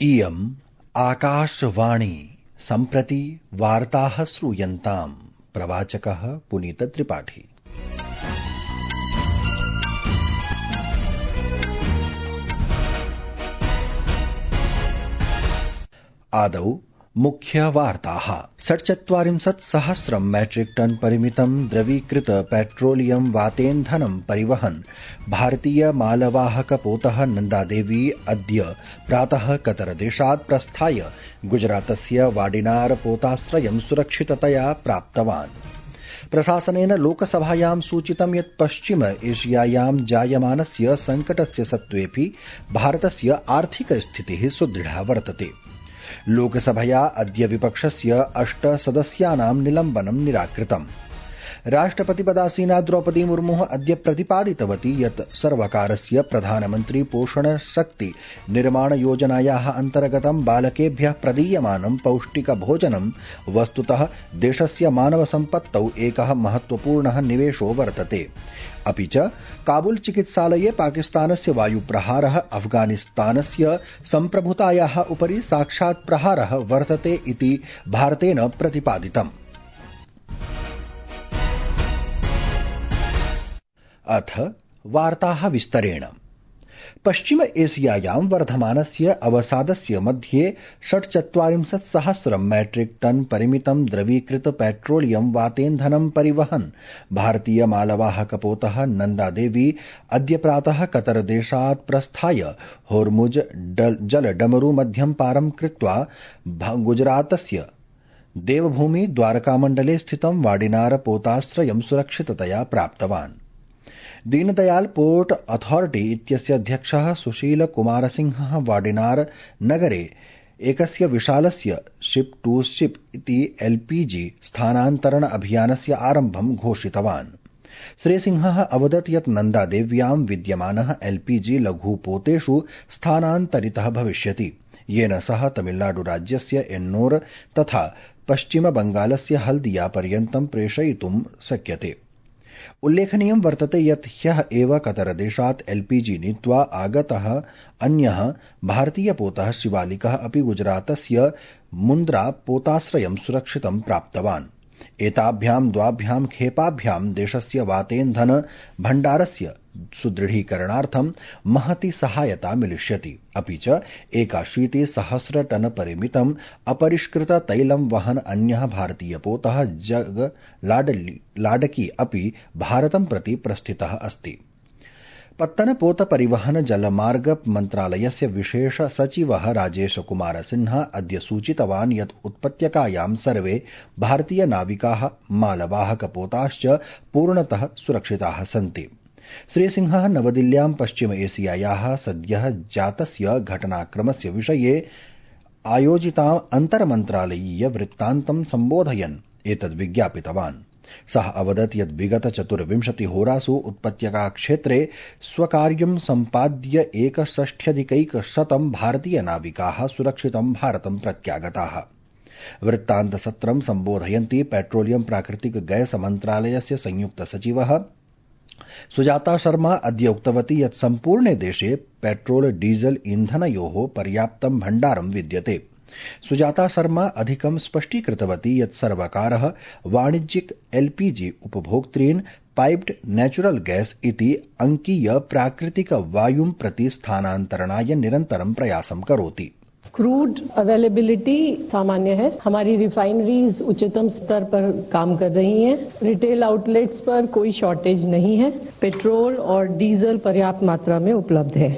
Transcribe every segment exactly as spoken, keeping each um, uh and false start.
इयम् आकाशवाणी सम्प्रति वार्ताः श्रूयन्ताम्। प्रवाचकः पुनीत त्रिपाठी। आदौ मुख्यवार्ताः। षट्चत्वारिंशत् सहस्रं मैट्रिक टन परिमितं द्रवीकृत पेट्रोलियम वातेन्धनं परिवहन् भारतीय मालवाहक पोतः नन्दादेवी अद्य प्रातः कतरदेशात् प्रस्थाय गुजरातस्य वाडिनार पोताश्रयं सुरक्षिततया प्राप्तवान्। प्रशासनेन लोकसभायां सूचितं यत् पश्चिम एशियायां जायमानस्य संकटस्य सत्त्वेऽपि भारतस्य आर्थिक स्थितिः सुदृढा वर्तते। लोकसभया अद्य विपक्षस्य अष्ट सदस्यानां निलम्बनं निराकृतम्। राष्ट्रपतिपदासीना द्रौपदी मुर्मुः अद्य प्रतिपादितवती यत् सर्वकारस्य प्रधानमन्त्री पोषण शक्ति निर्माण योजनायाः अन्तर्गतं बालकेभ्यः प्रदीयमानं पौष्टिक भोजनं वस्तुतः देशस्य मानव सम्पत्तौ एकः महत्वपूर्णः निवेशो वर्तते। अपि च काबुल चिकित्सालये पाकिस्तानस्य वायुप्रहारः अफगानिस्तानस्य सम्प्रभुतायाः उपरि साक्षात् प्रहारः वर्तते इति भारतेन प्रतिपादितम्। अथ वार्ताः विस्तरेण। पश्चिम एशियायां वर्धमानस्य अवसादस्य मध्ये षट्चत्वारिंशत् सहस्रं मैट्रिक टन परिमितं द्रवीकृत पेट्रोलियम वातेन्धनं परिवहन् भारतीय मालवाहक पोतः नन्दादेवी अद्य प्रातः कतरदेशात् प्रस्थाय होर्मुज जलडमरू मध्यं पारं कृत्वा गुजरातस्य देवभूमि द्वारकामण्डले स्थितं वाडिनार पोताश्रयं सुरक्षिततया प्राप्तवान्। दीनदयाल पोर्ट अथॉरिटी इत्यस्य अध्यक्षः सुशील कुमार सिंहः वाडिनार नगरे एकस्य विशालस्य शिप टू शिप इति एलपीजी स्थानान्तरण अभियानस्य आरम्भं घोषितवान्। श्रीसिंहः अवदत् यत् नन्दादेव्यां विद्यमानः एलपीजी लघुपोतेषु स्थानान्तरितः भविष्यति, येन सह तमिलनाडु राज्यस्य एन्नोर तथा पश्चिम बंगालस्य हल्दिया पर्यन्तं प्रेषयितुं शक्यते। उल्लेखनीयं वर्तते यत् ह्यः एव कतरदेशात् एलपीजी नीत्वा आगतः अन्यः भारतीयपोतः शिवालिकः अपि गुजरातस्य मुन्द्रा पोताश्रयं सुरक्षितं प्राप्तवान्। एताभ्यां द्वाभ्यां खेपाभ्यां देशस्य वातेन्धन भण्डारस्य सुदृढीकरणार्थं महती सहायता मिलिष्यति। अपि च एकाशीति सहस्र टन परिमितम् अपरिष्कृत तैलं वहन् अन्यः भारतीयपोतः जग लाडकी अपि भारतं प्रति प्रस्थितः अस्ति। पत्तनपोत परिवहन जलमार्ग मन्त्रालयस्य विशेष सचिवः राजेश कुमार सिन्हा अद्य सूचितवान् यत् उत्पत्यकायां सर्वे भारतीय नाविकाः मालवाहकपोताश्च पूर्णतः सुरक्षिताः सन्ति। श्रीसिंहः नवदिल्ल्यां पश्चिम एशियायाः सद्यः जातस्य घटनाक्रमस्य विषये आयोजितां अन्तर्मन्त्रालयीय वृत्तान्तं सम्बोधयन् एतद् विज्ञापितवान्। सः अवदत् यत् विगत चतुर्विंशतिहोरासु उत्पत्यकाक्षेत्रे स्वकार्यं सम्पाद्य एकषष्ट्यधिकैकशतं भारतीयनाविकाः सुरक्षितं भारतं प्रत्यागताः। वृत्तान्तसत्रं सम्बोधयन्ती पेट्रोलियम प्राकृतिक गैस मन्त्रालयस्य संयुक्त सचिवः सुजाता शर्मा अद्य उक्तवती यत् सम्पूर्णे देशे पेट्रोल डीजल ईन्धनयोः पर्याप्तं भण्डारं विद्यते। सुजाता शर्मा अधिकं स्पष्टीकृतवती यत् सर्वकारः वाणिज्यिक एलपीजी उपभोक्तॄन् पाइप्ड नेचुरल गैस इति अंकीय प्राकृतिक वायुं प्रति स्थानान्तरणाय निरन्तरं प्रयासं करोति। क्रूड अवेलेबिलिटी सामान्य है। हमारी रिफाइनरीज उच्चतम स्तर पर काम कर रही हैं। रिटेल आउटलेट्स पर कोई शॉर्टेज नहीं है। पेट्रोल और डीजल पर्याप्त मात्रा में उपलब्ध है।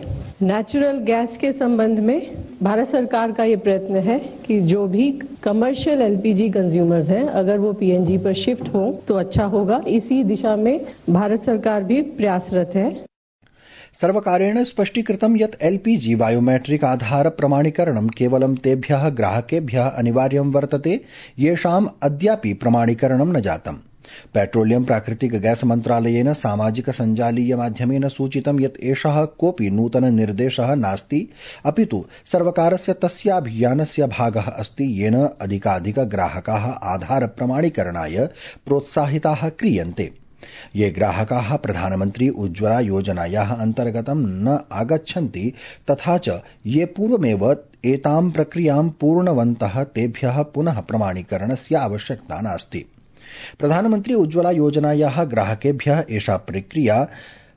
नेचुरल गैस के संबंध में भारत सरकार का ये प्रयत्न है कि जो भी कमर्शियल एलपीजी कंज्यूमर्स हैं, अगर वो पीएनजी पर शिफ्ट हो तो अच्छा होगा। इसी दिशा में भारत सरकार भी प्रयासरत है। सर्वकारेण स्पष्टीकृतं यत् एलपीजी बायोमेट्रिक आधार प्रमाणीकरणं केवलं तेभ्यः ग्राहकेभ्यः अनिवार्यं वर्तते येषाम् अद्यापि प्रमाणीकरणं न जातम्। पेट्रोलियम प्राकृतिक गैस मन्त्रालयेन सामाजिक सञ्जालीय माध्यमेन सूचितं यत् एषः कोऽपि नूतन निर्देशः नास्ति, अपितु सर्वकारस्य तस्याभियानस्य भागः अस्ति येन अधिकाधिक ग्राहकाः आधार प्रमाणीकरणाय प्रोत्साहिताः क्रियन्ते। ये ग्राहकाः प्रधानमन्त्री उज्ज्वला योजनायाः अन्तर्गतं न आगच्छन्ति तथा च ये पूर्वमेव एतां प्रक्रियां पूर्णवन्तः तेभ्यः पुनः प्रमाणीकरणस्य आवश्यकता नास्ति। प्रधानमन्त्री उज्ज्वला योजनायाः ग्राहकेभ्यः एषा प्रक्रिया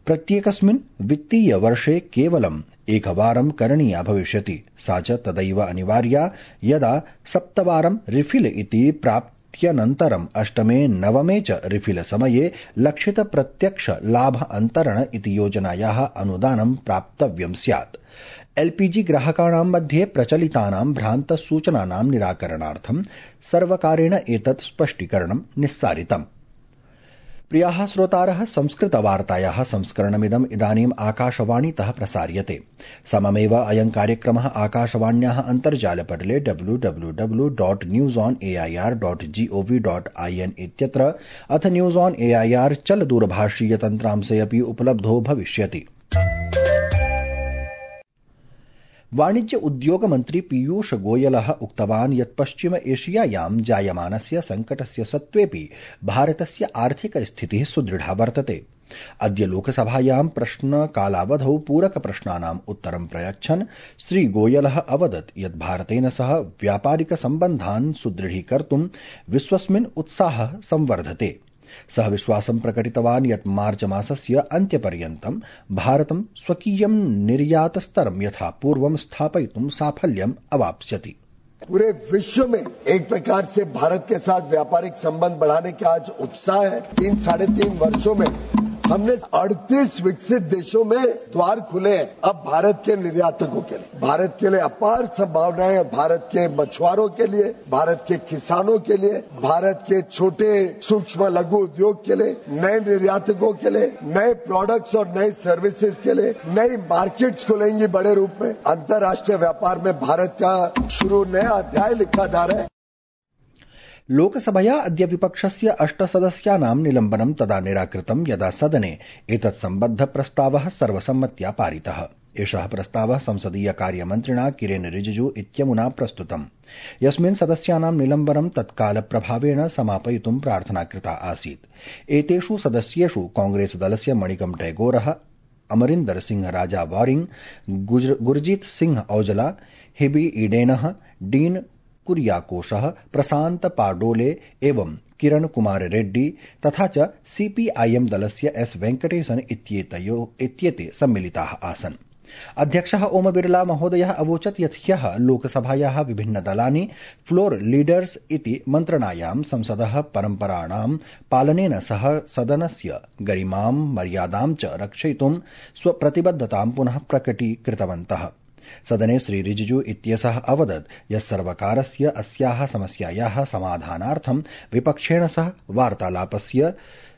प्रत्येकस्मिन् वित्तीय वर्षे केवलम् एकवारं करणीया भविष्यति। सा च तदैव अनिवार्या यदा सप्तवारं रिफिल इति प्राप्त्यनन्तरम् अष्टमे नवमे च रिफिल समये लक्षित प्रत्यक्ष लाभ अन्तरण इति योजनायाः अनुदानं प्राप्तव्यं स्यात्। एलपीजी ग्राहकाणां मध्ये प्रचलितानां भ्रान्तसूचनानां निराकरणार्थं सर्वकारेण एतत् स्पष्टीकरणं निस्सारितम्। प्रियाः श्रोतारः, संस्कृतवार्तायाः संस्करणमिदम् इदानीम् आकाशवाणीतः प्रसार्यते। सममेव अयं कार्यक्रमः आकाशवाण्याः अन्तर्जालपटले W W W dot news on A I R dot gov dot I N इत्यत्र अथ news on A I R चल दूरभाषीय तन्त्रांशे अपि उपलब्धो भविष्यति। वाणिज्य उद्योग मन्त्री पीयूष गोयलः उक्तवान् यत् पश्चिम एशियायां जायमानस्य सङ्कटस्य सत्त्वेऽपि भारतस्य आर्थिक स्थितिः सुदृढा वर्तते। अद्य लोकसभायां प्रश्नकालावधौ पूरकप्रश्नानाम् उत्तरं प्रयच्छन् श्रीगोयलः अवदत् यत् भारतेन सह व्यापारिक सम्बन्धान् सुदृढीकर्तुं विश्वस्मिन् उत्साहः संवर्धते। सः विश्वासं प्रकटितवान् यत् मार्च मासस्य अन्त्यपर्यन्तं भारतं स्वकीयं निर्यातस्तरं यथा पूर्वं स्थापयितुं साफल्यम् अवाप्स्यति। पूरे विश्व में एक प्रकार से भारत के साथ व्यापारिक संबंध बढ़ाने का आज उत्साह है। तीन साढ़े तीन वर्षों में हमने अड़तीस विकसित देशों में द्वार खुले हैं अब भारत के निर्यातकों के लिए। भारत के लिए अपार संभावनाएं हैं। भारत के मछुआरों के लिए, भारत के किसानों के लिए, भारत के छोटे सूक्ष्म लघु उद्योग के लिए, नए निर्यातकों के लिए, नए प्रोडक्ट्स और नए सर्विसेज के लिए नई मार्केट्स खुलेंगी बड़े रूप में। अंतर्राष्ट्रीय व्यापार में भारत का शुरू नया अध्याय लिखा जा रहा है। लोकसभया अद्य विपक्षस्य अष्टसदस्यानां निलम्बनं तदा निराकृतं यदा सदने एतत् सम्बद्ध प्रस्तावः सर्वसम्मत्या पारितः। एषः प्रस्तावः संसदीय कार्यमन्त्रिणा किरेन रिजिजू इत्यमुना प्रस्तुतम्, यस्मिन् सदस्यानां निलम्बनं तत्कालप्रभावेण समापयितुं प्रार्थना कृता आसीत्। एतेषु सदस्येषु कांग्रेस दलस्य मणिकम टैगोरः, अमरिन्दर सिंह राजा वारिंग, गुरजीत सिंह औजला, हिबी ईडेनः, डीन कुरियाकोशः, प्रशांत पाडोले एवं किरण कुमार रेड्डी तथा च सीपीआईएम दलस्य एस वेंकटेशन इत्येते सम्मिलिताः आसन्। अध्यक्षः ओम बिरला महोदयः अवोचत् यत् ह्यः लोकसभायाः विभिन्न दलानि फ्लोर लीडर्स इति मन्त्रणायां संसदः परम्पराणां पालनेन सह सदनस्य गरिमां मर्यादां च रक्षयितुं स्वप्रतिबद्धतां पुनः प्रकटीकृतवन्तः। सदने श्री रिजिजू इत्यसः अवदत् यत् सर्वकारस्य अस्याः समस्यायाः समाधानार्थं विपक्षेण सह वार्तालापस्य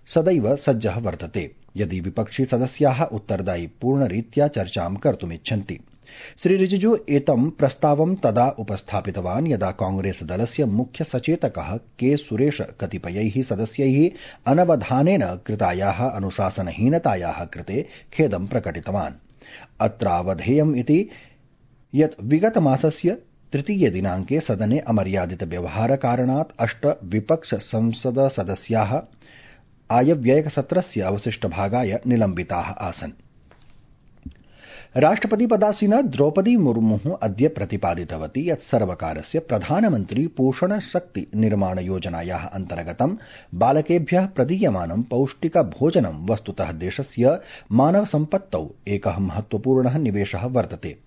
सदैव सज्जः वर्तते, यदि विपक्षी सदस्याः उत्तरदायी पूर्णरीत्या चर्चां कर्तुमिच्छन्ति। श्री रिजिजू एतं प्रस्तावं तदा उपस्थापितवान् यदा कांग्रेस दलस्य मुख्य सचेतकः के सुरेश कतिपयैः सदस्यैः अनवधानेन कृतायाः अनुशासनहीनतायाः कृते खेदं प्रकटितवान्। अत्रावधेयम् इति यत् विगत मासस्य तृतीय दिनाङ्के सदने अमर्यादित व्यवहार कारणात् अष्ट विपक्ष संसद सदस्याः आयव्ययसत्रस्य अवशिष्टभागाय निलम्बिताः आसन्। राष्ट्रपतिपदासीना द्रौपदी मुर्मुः अद्य प्रतिपादितवती यत् सर्वकारस्य प्रधानमन्त्री पोषण शक्ति निर्माण योजनायाः अन्तर्गतं बालकेभ्यः प्रदीयमानं पौष्टिक भोजनं वस्तुतः देशस्य मानव सम्पत्तौ एकः महत्वपूर्णः निवेशः वर्तते।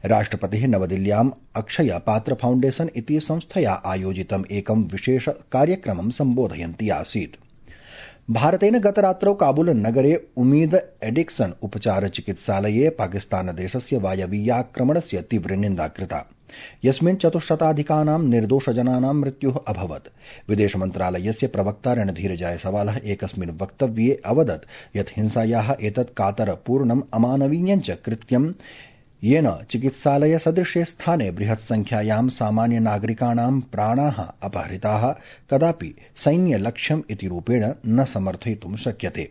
राष्ट्रपतिः नवदिल्ल्याम् अक्षय पात्र फाउण्डेशन इति संस्थया आयोजितम् एकं विशेष कार्यक्रमं सम्बोधयन्ती आसीत्। भारतेन गतरात्रौ काबुल नगरे उमीद एडिक्शन उपचार चिकित्सालये पाकिस्तानदेशस्य वायवीयाक्रमणस्य तीव्र निन्दा कृता, यस्मिन् चतुश्शताधिकानां निर्दोषजनानां मृत्युः अभवत्। विदेशमन्त्रालयस्य प्रवक्ता रणधीर जायसवालः एकस्मिन् वक्तव्ये अवदत् यत् हिंसायाः एतत् कातरपूर्णम् अमानवीयञ्च कृत्यं येन चिकित्सालय सदृशे स्थाने बृहत् संख्यायां सामान्य नागरिकाणां प्राणाः अपहृताः कदापि सैन्यलक्ष्यम् इति रूपेण न समर्थयितुं शक्यते।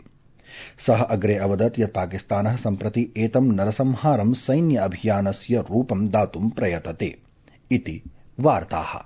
सः अग्रे अवदत् यत् पाकिस्तानः सम्प्रति एतं नरसंहारं सैन्य अभियानस्य रूपं दातुं प्रयतते इति वार्ताः।